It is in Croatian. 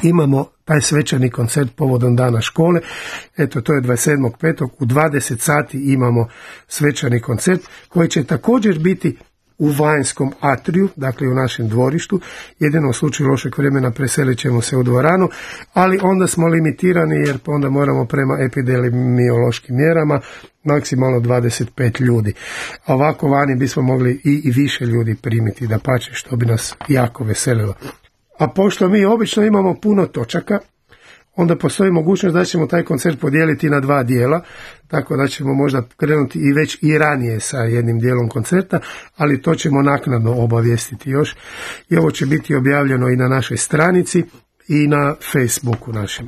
imamo taj svečani koncert povodom dana škole. Eto, to je 27.5. u 20 sati imamo svečani koncert koji će također biti u vanjskom atriju, dakle u našem dvorištu. Jedino u slučaju lošeg vremena preselit ćemo se u dvoranu, ali onda smo limitirani jer onda moramo prema epidemiološkim mjerama maksimalno 25 ljudi. A ovako vani bismo mogli i više ljudi primiti, dapače, što bi nas jako veselilo. A pošto mi obično imamo puno točaka, onda postoji mogućnost da ćemo taj koncert podijeliti na 2 dijela, tako da ćemo možda krenuti i već i ranije sa jednim dijelom koncerta, ali to ćemo naknadno obavijestiti još. I ovo će biti objavljeno i na našoj stranici i na Facebooku našem.